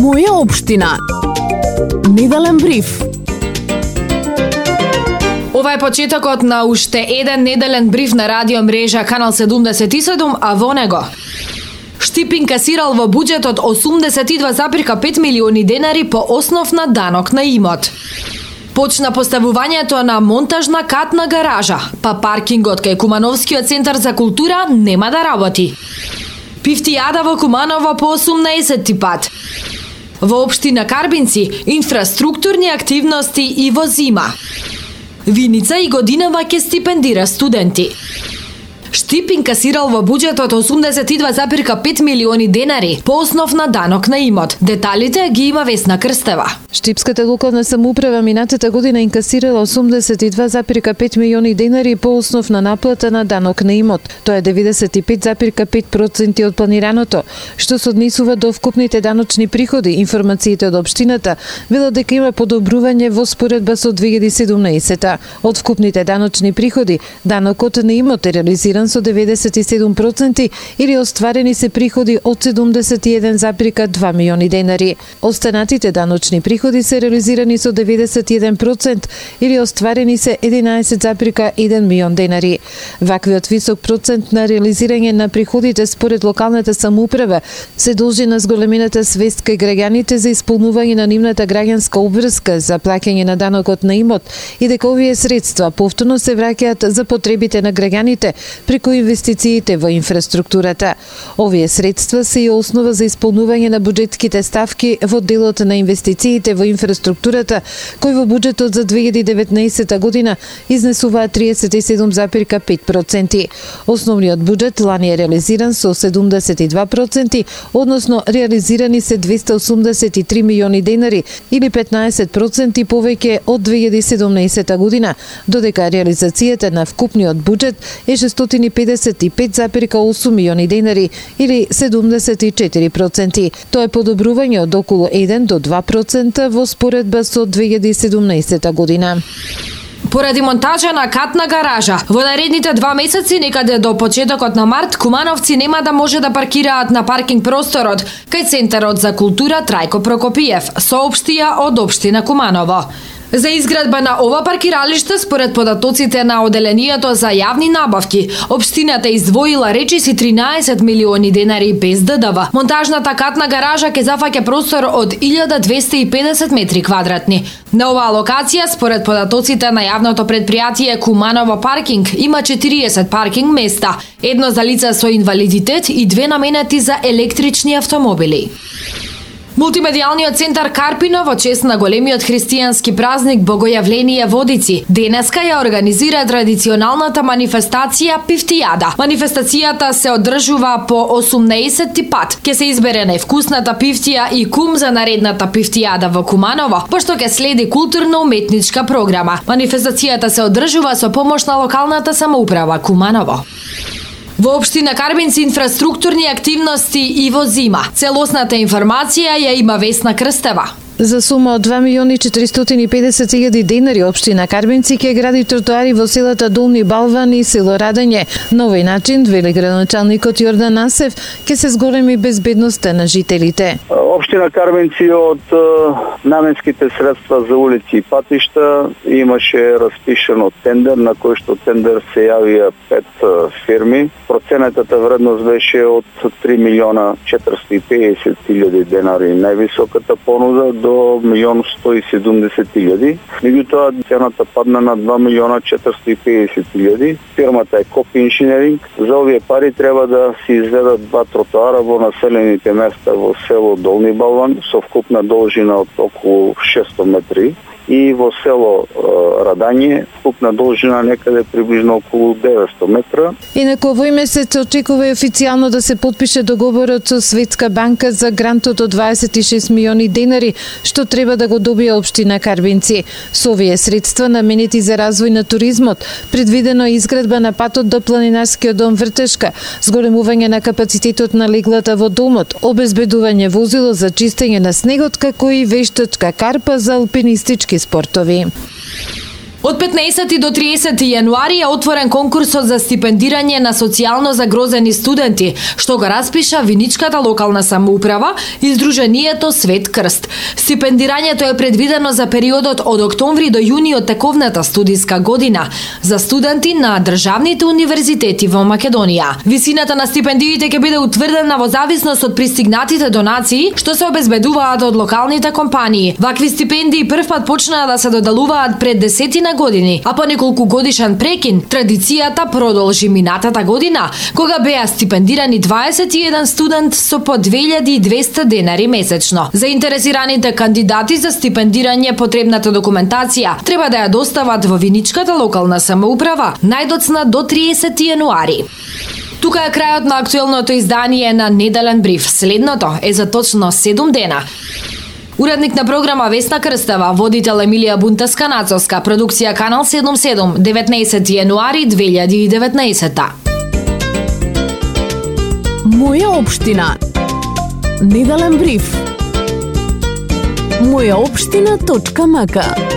Моја општина. Неделен бриф. Ова е почетокот на уште еден неделен бриф на радио мрежа Канал 77, а во него Штип инкасирал во буџетот 82,5 милиони денари по основ на данок на имот. Почна поставувањето на монтажна катна гаража, па паркингот кај Кумановскиот центар за култура нема да работи. Пифтијада во Куманово по 18 пат. Во општина Карбинци инфраструктурни активности и во зима. Виница и годинава ќе стипендира студенти. Штип инкасирал во буџетот 82,5 милиони денари по основ на данок на имот. Деталите ги има Весна Крстева. Штипската локална самоуправа минатата година инкасирала 82,5 милиони денари по основ на наплата на данок на имот. Тоа е 95,5% од планираното, што се однесува до вкупните даночни приходи. Информациите од општината велат дека има подобрување во споредба со 2017. Од вкупните даночни приходи, данокот на имот е реализиран со 97% или остварени се приходи од 71,2 милиони денари. Останатите даночни приходи се реализирани со 91% или остварени се 11,1 милион денари. Ваквиот висок процент на реализирање на приходите според локалната самоуправа се должи на зголемената свест кај граѓаните за исполнување на нивната граѓанска обврска за плаќање на данокот на имот и дека овие средства повторно се враќаат за потребите на граѓаните преку инвестициите во инфраструктурата. Овие средства се и основа за исполнување на буџетските ставки во делот на инвестициите во инфраструктурата, кој во буџетот за 2019 година изнесуваа 37,5%. Основниот буџет лани е реализиран со 72%, односно реализирани се 283 милиони денари или 15% повеќе од 2017 година, додека реализацијата на вкупниот буџет е 655,8 милиони денари или 74%. Тоа е подобрување од околу 1 до 2% во споредба со 2017 година. Поради монтажа на катна гаража, во наредните 2 месеци, некаде до почетокот на март, кумановци нема да може да паркираат на паркинг просторот кај Центарот за култура Трајко Прокопиев, соопштија од општина Куманово. За изградба на ова паркиралиште, според податоците на Оделението за јавни набавки, општината издвоила речиси 13 милиони денари без ДДВ. Монтажната катна гаража ќе зафаќа простор од 1250 метри квадратни. На оваа локација, според податоците на јавното предпријатие Куманово паркинг, има 40 паркинг места, едно за лица со инвалидитет и 2 наменети за електрични автомобили. Мултимедијалниот центар Карпино во чест на големиот христијански празник Богојавление Водици денеска ја организира традиционалната манифестација Пифтијада. Манифестацијата се одржува по 18 пат. Ќе се избере највкусната пифтија и кум за наредната Пифтијада во Куманово, пошто ќе следи културно-уметничка програма. Манифестацијата се одржува со помош на локалната самоуправа Куманово. Во општина Карбинци инфраструктурни активности и во зима. Целосната информација ја има Весна Крстева. За сума од 2.450.000 денари општина Карбинци ќе гради тротоари во селата Долни Балван и село Радење. На овој начин, вели градоначалникот Јордан Насев, ќе се зголеми безбедноста на жителите. Општина Карбинци од наменските средства за улици и патишта имаше распишено тендер, на кој што тендер се јавија 5 фирми. Проценетата вредност беше од 3.450.000 денари. Највисоката понуда до 1.170.000. Меѓутоа цената падна на 2.450.000. Фирмата е Копи Инженеринг. За овие пари треба да се изведат 2 тротоара во населените места во село Долни Балван со вкупна должина од околу 600 метри и во село Радање вкупна должина некаде приближно околу 900 метра. Инаку овој месец очекува и официјално да се потпише договорот со Светска банка за грантот од 26 милиони денари, што треба да го добие општина Карбинци. Со овие средства наменети за развој на туризмот, предвидено е изградба на патот до планинарскиот дом Вртешка, зголемување на капацитетот на леглата во домот, обезбедување возило за чистење на снегот, како и вештачка карпа за алпинистички спортови. Од 15 до 30 јануари е отворен конкурсот за стипендирање на социјално загрозени студенти, што го распиша Виничката локална самоуправа и Сдруженијето Свет Крст. Стипендирањето е предвидено за периодот од октомври до јуни од тековната студиска година за студенти на државните универзитети во Македонија. Висината на стипендиите ќе биде утврдена во зависност од пристигнатите донации што се обезбедуваат од локалните компании. Вакви стипендии првпат почнаа да се доделуваат пред 10 години, а по неколку годишен прекин традицијата продолжи минатата година, кога беа стипендирани 21 студент со по 2200 денари месечно. Заинтересираните кандидати за стипендирање потребната документација треба да ја достават во Виничката локална самоуправа најдоцна до 30 јануари. Тука е крајот на актуелното издание на Неделен бриф. Следното е за точно 7 дена. Уредник на програма Весна Крстева, водител Емилија Бунтаска-Нацовска, продукција Канал 77, 19 јануари 2019. Моја општина. Неделен бриф. Мојаопштина.мк